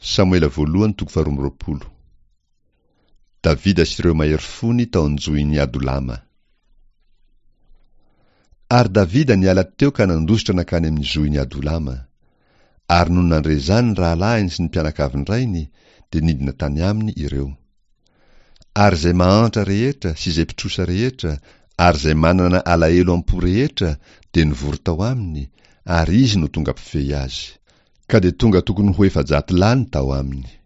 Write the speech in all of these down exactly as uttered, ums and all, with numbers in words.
Samoela voalohany toko faharoa amby roapolo. Davida sy ireo mahery fony tao an-johin'i Adolama. Ary Davida niala teo ka nandositra nankany amin'ny zohin'i Adolama. Ary nony nandre izany ny rahalahiny sy ny mpianakavin-drainy, dia nidina tany aminy ireo. Ary izay mahantra rehetra sy izay mpitrosa rehetra ary izay manana alahelo am-po rehetra dia nivory tao aminy, ary izy no tonga mpifehy azy. Ka dia tonga tokony ho efajato lahy ny tao aminy.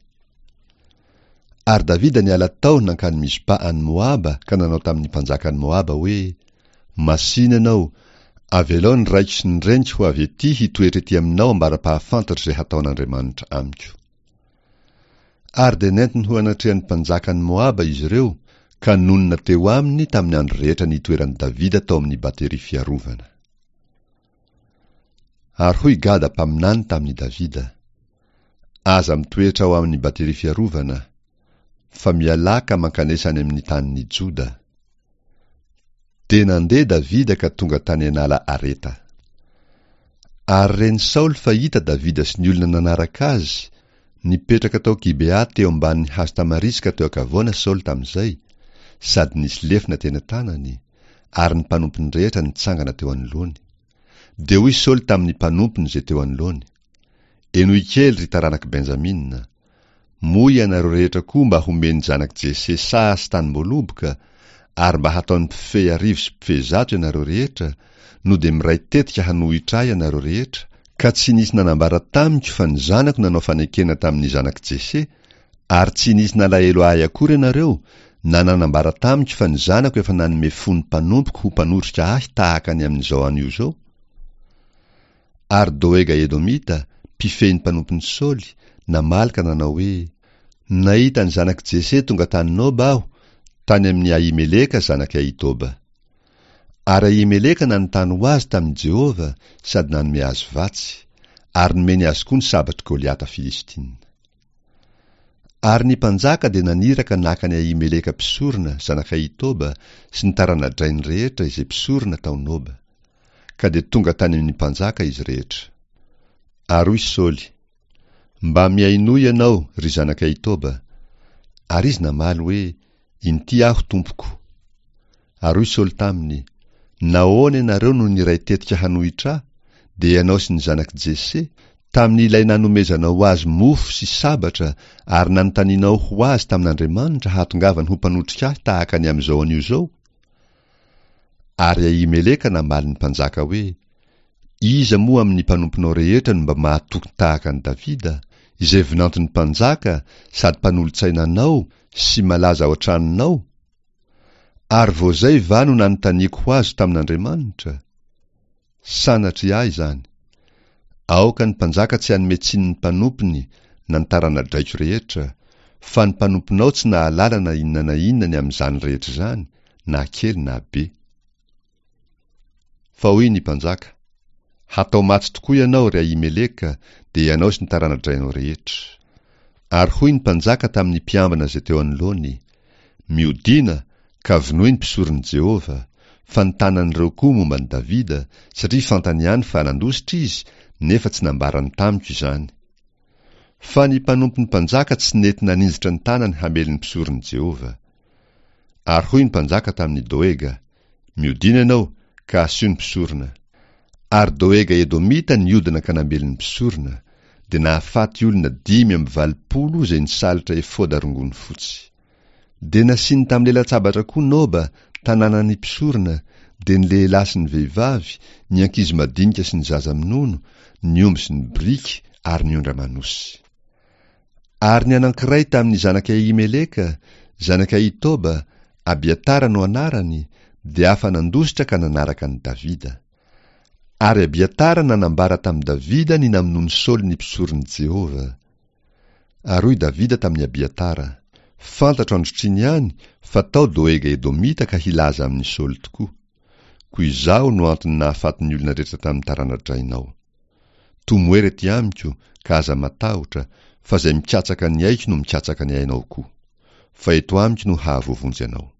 Ary Davida niala tao nankany Mizpa any Moaba ka nanao tamin'ny mpanjakan'i Moaba hoe, Masìna ianao, avelao ny raiko sy ny reniko ho avy etỳ hitoetra etỳ aminao ambara-pahafantatro izay hataon'Andriamanitra amiko. Ary dia nentiny ho anatrehan'ny mpanjakan'i Moaba izy ireo, ka nonina teo aminy tamin'ny andro rehetra nitoeran'i Davida tao amin'ny bateria fiarovana. Ary hoy Gada mpaminany tamin'i Davida, Aza mitoetra ao amin'ny bateria fiarovana, fa mialà ka mankanesa any amin'ny tanin'i Joda. Dia nandeha Davida ka tonga tany an'ala Areta. Ary ren'i Saoly fa hita Davida sy ny olona nanaraka azy, nipetraka tao Gibea teo ambanin'ny hazo tamariska teo an-kavoana Saoly tamin'izay, sady nisy lefona teny an-tanany, ary ny mpanompony rehetra nitsangana teo anoloany. Dia hoy Saoly tamin'ny mpanompony izay teo anoloany, Henoy kely, ry taranak'i Benjamina! Moa ianareo rehetra koa mba homen'ny zanak'i Jese saha sy tanim-boaloboka, ary mba hataony mpifehy arivo sy mpifehy zato ianareo rehetra, no dia miray tetika hanohitra ahy ianareo rehetra, ka tsy nisy nanambara tamiko fa ny zanako nanao fanekena tamin'ny zanak'i Jese, ary tsy nisy nalahelo ahy akory ianareo, na nanambara tamiko fa ny zanako efa nanome fo ny mpanompoko ho mpanotrika ahy tahaka ny amin'izao anio izao? Ary Doega Edomita, mpifehy ny mpanompon'i Saoly, namaly ka nanao hoe, Nahita ny zanak'i Jese tonga tany Noba aho, tany amin'i Ahimeleka zanak'i Ahitoba. Ary Ahimeleka nanontany ho azy tamin'i Jehovah sady nanome azy vatsy, ary nomeny azy koa ny sabatr'i Goliata Filistina. Ary ny mpanjaka dia naniraka naka an'i Ahimeleka mpisorona, zanak'i Ahitoba, sy ny tarana-drainy rehetra izay mpisorona tao Noba. Ka dia tonga tany amin'ny mpanjaka izy rehetra. Ary hoy Saoly, Mba mihainoa ianao, ry zanak'i Ahitoba. Ary izy namaly hoe, Inty aho, tompoko. Ary hoy Saoly taminy, Nahoana ianareo no niray tetika hanohitra ahy, dia ianao sy ny zanak'i Jese, tamin'ilay nanomezanao azy mofo sy sabatra ary nanontanianao ho azy tamin'Andriamanitra hahatongavany ho mpanotrika ahy tahaka ny amin'izao anio izao? Ary Ahimeleka namaly ny mpanjaka hoe, Iza moa amin'ny mpanomponao rehetra no mba mahatoky tahaka an'i Davida, izay vinanton'ny mpanjaka sady mpanolotsaina anao sy malaza ao an-tranonao? Ary vao izay va no nanontaniako ho azy tamin'Andriamanitra? Sanatria ahy izany! Aoka ny mpanjaka tsy hanome tsiny ny mpanompony na ny tarana-draiko rehetra, fa ny mpanomponao tsy nahalala na inona na inona ny amin'izany rehetra izany, na kely na be. Fa hoy ny mpanjaka, Hatao maty tokoa ianao, ry Ahimeleka, dia ianao sy ny tarana-drainao rehetra. Ary hoy ny mpanjaka tamin'ny mpiambina izay teo anoloany, Miodìna, ka vonoy ny mpisoron'i Jehovah, fa ny tanan'ireo koa momba an'i Davida, satria fantany ihany fa nandositra izy, nefa tsy nambarany tamiko izany. Fa ny mpanompon'ny mpanjaka tsy nety naninjitra ny tanany hamely ny mpisoron'i Jehovah. Ary hoy ny mpanjaka tamin'i Doega, Miodìna ianao, ka asio ny mpisorona. Ary Doega Edomita niodina ka namely ny mpisorona, dia nahafaty olona dimy amby valopolo izay nisalotra efoda rongony fotsy. Dia nasiany tamin'ny lelan-tsabatra koa Noba, tanànan'ny mpisorona, dia ny lehilahy sy ny vehivavy, ny ankizy madinika sy ny zaza minono, ny omby sy ny biriky ary ny ondry aman'osy. Ary ny anankiray tamin'ny zanak'i Ahimeleka, zanak'i Ahitoba, Abiatara no anarany, dia afa-nandositra ka nanaraka an'i Davida. Ary Abiatara nanambara tamin'i Davida ny namonoan'i Saoly ny mpisoron'i Jehovah. Ary hoy Davida tamin'i Abiatara, Fantatro androtr'iny ihany fa tao Doega Edomita ka hilaza amin'i Saoly tokoa. Koa izaho no antony nahafaty ny olona rehetra tamin'ny tarana-drainao. Tomoera ety amiko, ka aza matahotra, fa izay mikatsaka ny aiko no mikatsaka ny ainao koa. Fa eto amiko no hahavoavonjy anao.